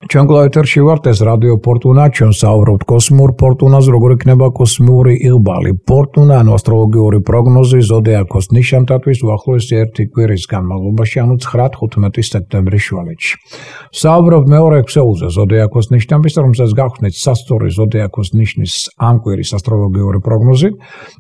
ჩვენ კლავეთერში ვართ, ეს რადიო ფორტუნა, ჩვენ საუბრობთ კოსმიურ ფორტუნაზე, როგორ იქნება კოსმიური იღბალი. ფორტუნა ანუ ასტროლოგიური პროგნოზი ზოდიაქოს ნიშანთათვის უახლოესი ერთი კვირის განმავლობაში, ანუ 9-15 სექტემბრის შუალედში. საუბრობთ მეორე ქსეულზე ზოდიაქოს ნიშნების, რომელსაც გავხსნით სასწორი ზოდიაქოს ნიშნის ამ კვირის ასტროლოგიური პროგნოზით.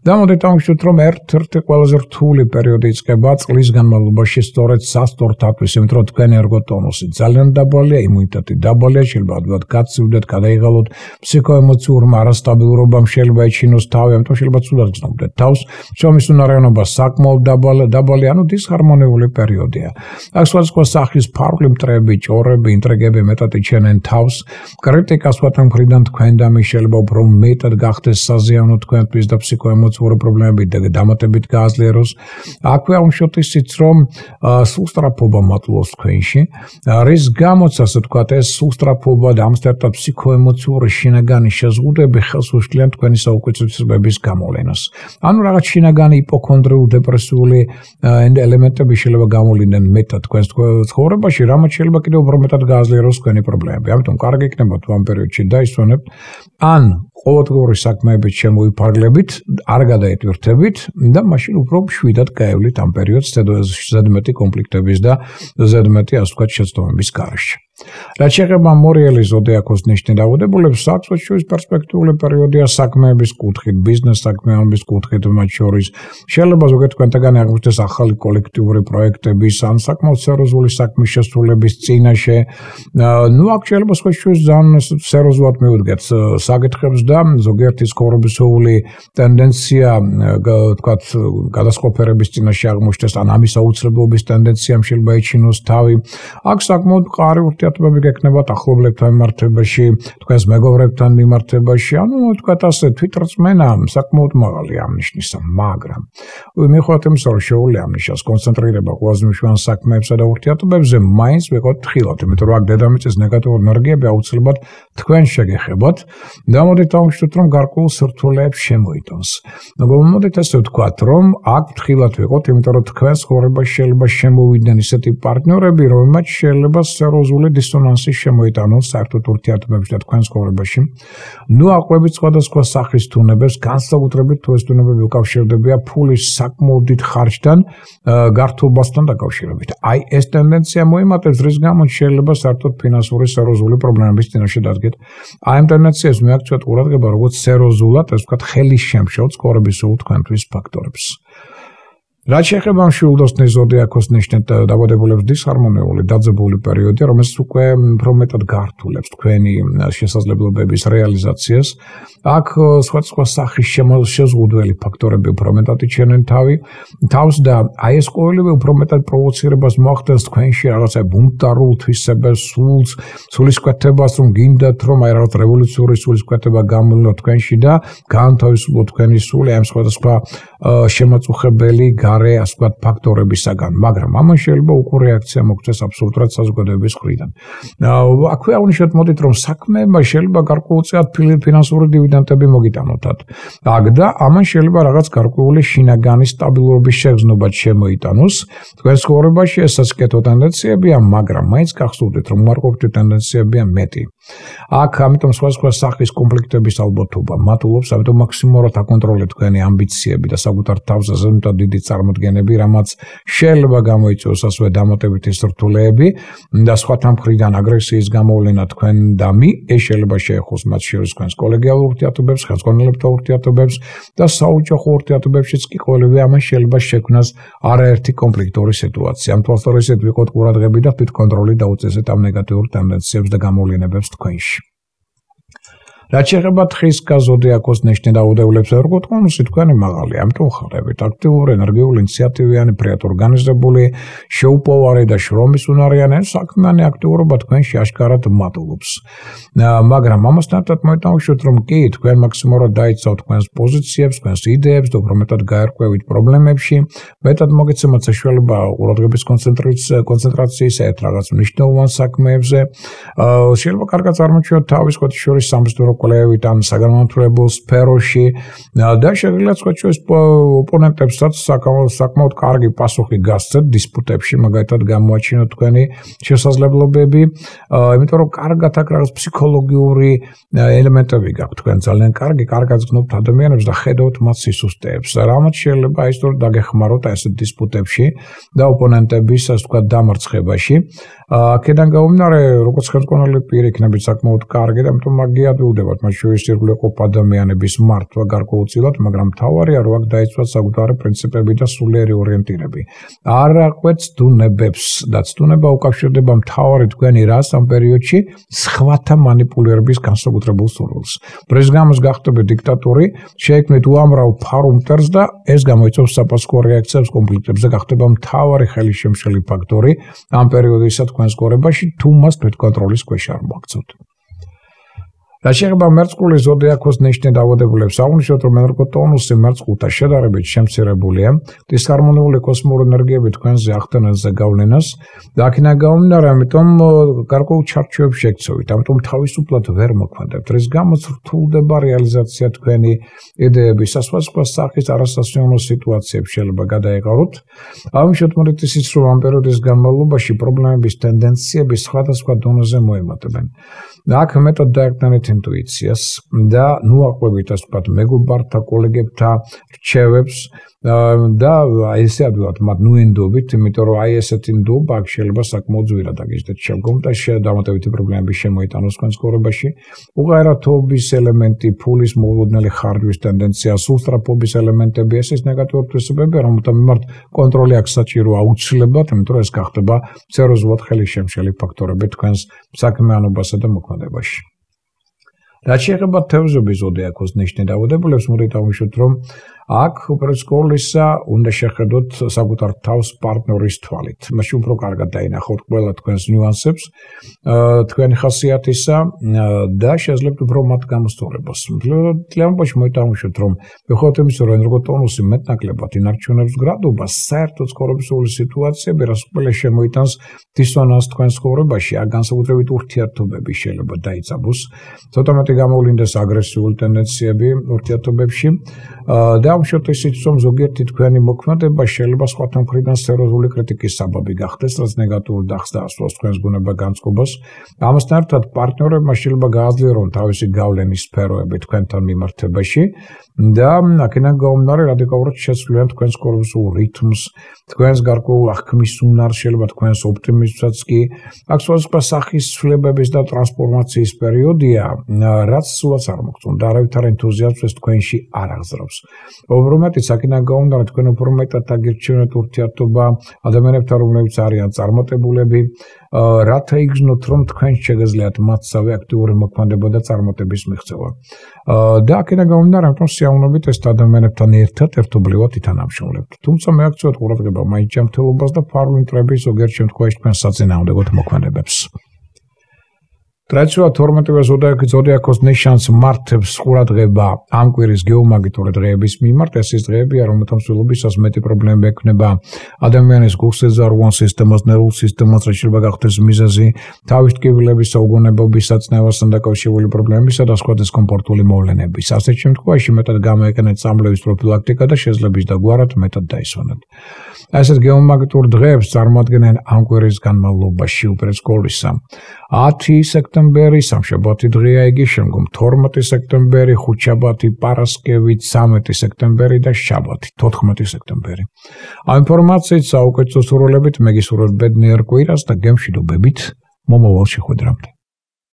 და მოდით დავუშვით, რომ ერთ-ერთი ყველაზე რთული პერიოდი იწყება წლის განმავლობაში სწორედ სასწორთათვის, იმიტომ რომ თქვენი ერგოტონუსი ძალიან დაბალია, იმუნიტეტი დაბალია, შეიძლება ადვილად გაცივდეთ, გადაიღალოთ, ფსიქოემოციურმა არასტაბილურობამ შეიძლება ეჩინოს თავი, ამიტომ შეიძლება ცუდად გრძნობდეთ თავს. შრომის უნარიანობა საკმაოდ დაბალია, ანუ დისჰარმონიული პერიოდია. აქ სხვადასხვა სახის ფარული მტრები, ჭორები, ინტრიგები მეტად იჩენენ თავს. კრიტიკა სხვათა მხრიდან თქვენ და მის შეიძლება უფრო მეტად გახდეს საზიანო თქვენთვის და ფსიქოემოციური პრობლემები დამატებით გააძლიეროს. აქვე აუშვით ისიც, რომ სუსტრაფობა მატლობს თქვენში, რის გამოც ასე ვთქვათ, ეს სუსტრაფობა და ამასთან ფსიქოემოციური შინაგანი შეზღუდვები ხელს უშლიან თქვენი საუკეთესობების გამოვლენას. ანუ რაღაც შინაგანი იპოქონდრიული დეპრესიული ელემენტები შეიძლება გამოვლიდნენ მეტად თქვენს ცხოვრებაში, რამაც შეიძლება კიდევ უფრო მეტად გააძლიეროს თქვენი პრობლემები. ამიტომ კარგი იქნება თუ ამ პერიოდში დაისვენებთ, ან ყოველდღიური საქმეებით შემოიფარგლებით, არ გადაეტვირთებით და მაშინ უფრო მშვიდად გაევლით ამ პერიოდს ზედმეტი კონფლიქტების და ზედმეტი ასე ვთქვათ შეცდომების გარეშე. რაც შეეხება მორიელი ზოდიაქოს ნიშნით დაავადებულებს, საქმეების პერსპექტიული პერიოდია საქმეების კუთხით, ბიზნეს საქმეების კუთხით მათ შორის. შეიძლება ზოგადად თქვენთაგანი აღმოჩნდეს ახალი კოლექტიური პროექტების ან საკმაოდ სერიოზული საქმის შესრულების წინაშე. ნუ აქ შეიძლება სხვაშორის ძალიან სერიოზულად მივუდგეთ საკითხებს და ზოგიერთი ცხოვრებისეული ტენდენცია, თქვათ, გადასყოფერების წინაშე აღმოჩნდეს ან ამის აუცილებლობის ტენდენციამ შეიძლება ეჩინოს თავი. აქ საკმაოდ მყარი ურთიერთობები გექნებათ ახლობლებთან მიმართებაში, თქვენს მეგობრებთან მიმართებაში, ანუ თქვათ ასე თვითრწმენა საკმაოდ მაღალია ამ ნიშნისა, მაგრამ მიუხედავად იმისა, რომ შეუძლია ამ ნიშნას კონცენტრირება ყველაზე მნიშვნელოვან საქმეებსა და ურთიერთობებზე, მაინც ვიყავთ ხილად, იმიტომ რომ აქ დედამიწის ნეგატიური ენერგიები აუცილებლად თქვენ შეგეხებათ და მოდით დავუშვით, რომ გარკვეულ სირთულეებს შემოიტანს. მოდით ასე ვთქვათ, რომ აქ ხილად ვიყავთ, იმიტომ რომ თქვენს ცხოვრებაში შეიძლება შემოვიდნენ ისეთი პარტნიორები, რომელმაც შეიძლება სერიოზული დისონანსი შემოიტანოს საერთოდ ურთიერთობებში და თქვენს ცხოვრებაში. ნუ აყვებით სხვადასხვა სახის თუნებებს, განსაკუთრებით თუ ეს თუნებები უკავშირდებიან ფულის საკმაოდ დიდ ხარჯთან, გართულობასთან დაკავშირებით. აი ეს ტენდენცია მოიმატებს, რის გამოც შეიძლება საერთოდ ფინანსური სერიოზული პრობლემების წინაშე დადგეთ. აი ამ ტენდენციას მიაქცევთ ყურადღება, როგორც სერიოზულად, ასე ვთქვათ, ხელისშემშელ ცხოვრებისეულ თქვენთვის ფაქტორებს. რაც შეეხება მშვილდოსნის ზოდიაქოს ნიშნით დაავადებულებს, დისჰარმონიული დაძაბული პერიოდია, რომელიც უკვე უფრო მეტად გართულებს თქვენი შესაძლებლობების რეალიზაციას. აქ სხვადასხვა სახის შეზღუდველი ფაქტორები უფრო მეტად იჩენენ თავს და აი ეს ყოველივე უფრო მეტად პროვოცირებას მოახდენს თქვენში რაღაცა ბუნტარულ თვისებებს, სულისკვეთებას, რომ გინდათ, რომ აი რაღაც რევოლუციური სულისკვეთება გამოვლინოთ თქვენში და გაანთავისუფლოთ თქვენი სული ამ სხვადასხვა შემაწუხებელი გარე ასე ვთქვათ ფაქტორებისაგან, მაგრამ ამან შეიძლება უკვე რეაქცია მოგვცეს აბსოლუტურად საზოგადოების მხრიდან. აქვე აღნიშნეთ, მოდით, რომ საქმეებმა შეიძლება გარკვეულწილად ფინანსური დივიდენდები მოგიტანოთ. აქ და ამან შეიძლება რაღაც გარკვეული შინაგანი სტაბილურობის შეგრძნობა შემოიტანოს. თქვენ ცხოვრებაში ესაც კეთო ტენდენციებია, მაგრამ მაინც გახსოვდეთ, რომ უარყოფითი ტენდენციებია მეტი. აქ ამიტომ სხვადასხვა სახის კონფლიქტების ალბათობა მატულობს, ამიტომ მაქსიმალურად აკონტროლეთ თქვენი ამბიციები და საკუთარ თავზე ზედმეტად დიდი წარმოდგენები, რამაც შეიძლება გამოიწვიოს ასევე დამატებითი სირთულეები და სხვათა მხრიდან აგრესიის გამოვლენა თქვენ და ეს შეიძლება შეეხოს მათ შორის თქვენს კოლეგიალურ ურთიერთობებს, ხელმძღვანელებთან ურთიერთობებს და საოჯახო ურთიერთობებშიც კი ყოველივე ამან შეიძლება შექმნას არაერთი კონფლიქტური სიტუაცია. ამ თვალსაზრისით ვიყოთ ყურადღები და თვითკონტროლი დაუწესეთ ამ ნეგატიურ ტენდენციებს და გამოვლენებს თქვენში. რაც შეეხება თხის ზოდიაქოს ნიშნით დაავადებულებს, ერგოტონუსი თქვენი მაღალია, ამიტომ ხარებით აქტიური, ენერგიული, ინიციატივიანი, ფრიად ორგანიზებული, შეუპოვარი და შრომის უნარიანი საქმიანი აქტიურობა თქვენში აშკარად მატულობს. მაგრამ ამასთან ერთად მოიტანხმოთ, რომ კი თქვენ მაქსიმალურად დაიცავთ თქვენს პოზიციებს, თქვენს იდეებს და უფრო მეტად გაერკვევით პრობლემებში, მეტად მოგეცემათ საშუალება ყურადღების კონცენტრაციის ერთ რაღაც მნიშვნელოვან საქმეებზე. შეიძლება კარგად წარმოჩინოთ თავის ხოთის შორის სამსახურო კვლევით ან საგანმანათლებლო სფეროში და შეგვიძლია სხვადასხვა ოპონენტებსაც საკმაოდ კარგი პასუხი გასცეთ დისპუტებში, მაგალითად გამოაჩინოთ თქვენი შესაძლებლობები, იმიტომ რომ კარგად აქ რაღაც ფსიქოლოგიური ელემენტები გაქვთ თქვენ ძალიან კარგად გზნობთ ადამიანებს და ხედავთ მათ სისუსტეებს. რამაც შეიძლება ის თორე დაგეხმაროთ ასეთ დისპუტებში და ოპონენტების ასე ვთქვათ დამარცხებაში. აქედან გამომდინარე, როგორც ხელმძღვანელი პირი იქნებით საკმაოდ კარგი და ამიტომ მაგიადვილდებათ მათ შორის ირგვლივ ყოფ ადამიანების მართვა გარკვეულწილად, მაგრამ მთავარია რომ აქ დაიცვათ საკუთარი პრინციპები და სულიერი ორიენტირები. არ აყვეთ ცდუნებებს და ცდუნება უკავშირდება მთავარი თქვენი რას ამ პერიოდში სხვათა манипуლირების განსაკუთრებულ სურვილს. რის გამოც გახდებით დიქტატორი, შეექმნით უამრავ ფარუმტერს და ეს გამოიწვევს საპასუხო რეაქციებს კონფლიქტებზე, გახდება მთავარი ხელისშემშელი ფაქტორი ამ პერიოდისა თქვენს გორებაში, თუ მას თვითკონტროლის ქვეშ არ მოაქცევთ. რა შეეხება მერწყულის ზოდიაქოს ნიშნე დავადებულებს, აღნიშნოთ, რომ ენერგოტონუსი მერწყულთან შედარებით შემცირებულია, დისჰარმონიული კოსმური ენერგიები თქვენზე ახდენენ ზეგავლენას და აქედან გამომდინარე, ამიტომ გარკვეულ ჩარჩოებს შეგცევით, ამიტომ თავისუფლად ვერ მოქმედებთ, რის გამოც რთულდება რეალიზაცია თქვენი იდეების სხვადასხვა სახის არასასიამოვნო სიტუაციებს შეიძლება გადაეყაროთ. აღნიშნოთ მოდით ისიც, რომ ამ პერიოდის განმავლობაში პრობლემების ტენდენციები სხვადასხვა დონეზე მოემატებენ. აქ მეტად დაერკნებით ინტუიციას და ნუაყვებით ასე ვთქვათ მეგობართა, კოლეგებთა რჩევებს და ესე ადვილად მათ ნუენდობით, იმიტომ რომ ესეთი ნდობა აქ შეიძლება საკმაოდ ძვირად აგიჟდეთ შემდგომ და დამატებითი პრობლემები შემოიტანოს თქვენს ცხოვრებაში. უღერათობის ელემენტი, ფულის მოულოდნელი ხარჯვის ტენდენცია, სულსწრაფობის ელემენტები, ეს ნეგატიური თვისებები, რომელთა მიმართ კონტროლი აქ საჭირო აუცილებლად, იმიტომ რომ ეს გახდება სერიოზულად ხელისშემშელი ფაქტორები თქვენს საქმიანობასა და მოქმედებაში. რაც შეეხება თევზების ზოდიაქოს ნიშნე დავადებულებს, მოდით ავნიშნოთ, რომ აქ უპირისპირდისა უნდა შეხედოთ საკუთარ თავს პარტნიორის თვალით. მაშინ უფრო კარგად დაინახოთ ყველა თქვენს ნიუანსებს, თქვენი ხასიათისა და შეძლებთ უფრო მათ გამოსწორებას. მთლიანობაში მოიტანხმოთ, რომ მიუხედავად იმისა, რომ ენერგოტონუსი მეტნაკლებად ინარჩუნებს გრადობას, საერთო ცხოვრებისეული სიტუაციები, რაც ყველა შემოიტანს დისონანსს თქვენს ცხოვრებაში, აქ განსაკუთრებით ურთიერთობები შეიძლება დაიწაბოს. ცოტა მეტი გამოვლინდეს აგრესიული ტენდენციები ურთიერთობებში და ამჟამად ისიც რომ ზოგიერთი თქვენი მოქმედება შეიძლება სხვათა მხრიდან სერიოზული კრიტიკის საბაბი გახდეს, რაც ნეგატიურ დახს დაასვას თქვენს ბუნება განწყობას. ამასთან ერთად პარტნიორებმა შეიძლება გააძლიერონ თავისი გავლენის სფეროები თქვენთან მიმართებაში და აქედან გამომდინარე რადიკალურად შეცვლიან თქვენს კორპუსულ რითმს, თქვენს გარკვეულ აღქმის უნარს, შეიძლება თქვენს ოპტიმიზმსაც კი. აქ სხვადასხვა სახის ცვლილებების და ტრანსფორმაციის პერიოდია, რაც სულაც არ მოგწონთ და არავითარ ენთუზიაზმს თქვენში არ აღზრავს. უფრო მეტიც აქედან გამომდინარე თქვენ უფრო მეტად აგირჩევნეთ ურთიერთობა ადამიანებთან, რომლებიც არიან წარმატებულები, რათა იგრძნოთ, რომ თქვენ შეგეძლიათ მათსავე აქტიური მოქმედება და წარმატების მიღწევა. და აქედან გამომდინარე, რომ სიამოვნებით ეს ადამიანებთან ერთად ერთობლივად ითანამშრომლებთ. თუმცა მე აქცევთ ყურადღება მაინც ჯანმრთელობას და ფარული მტრების ზოგიერთ შემთხვევაში თქვენ საწინააღმდეგო მოქმედებებს. ტრადიციულად 12-ვე ზოდიაქოს ნიშანს მართებს ყურადღება ამ კვირის გეომაგნიტური დღეების მიმართ. ეს ის დღეებია, რომელთა მსვლელობისას მეტი პრობლემები ექმნება ადამიანის გულსეზარღვან სისტემას, ნერვულ სისტემას, რაც შეიძლება გახდეს მიზეზი თავის ტკივილების, საუგონებლობის, საწნევასთან დაკავშირებული პრობლემებისა და სხვა დისკომფორტული მოვლენების. ასეთ შემთხვევაში მეტად გამოიყენეთ წამლების პროფილაქტიკა და შეძლების დაგვარად მეტად დაისვენეთ. ასეთ გეომაგნიტურ დღეებს წარმოადგენენ ამ კვირის განმავლობაში უპირისპირდისა 10 სექტემბერი, სამშაბათი დღეა იგი, შემდგომ 12 სექტემბერი, ხუთშაბათი, პარასკევი, 13 სექტემბერი და შაბათი, 14 სექტემბერი. ამ ინფორმაციით საუკეთესო სურვილებით მე გისურვებთ ბედნიერ კვირას და გემშვიდობებით მომავალ შეხვედრამდე.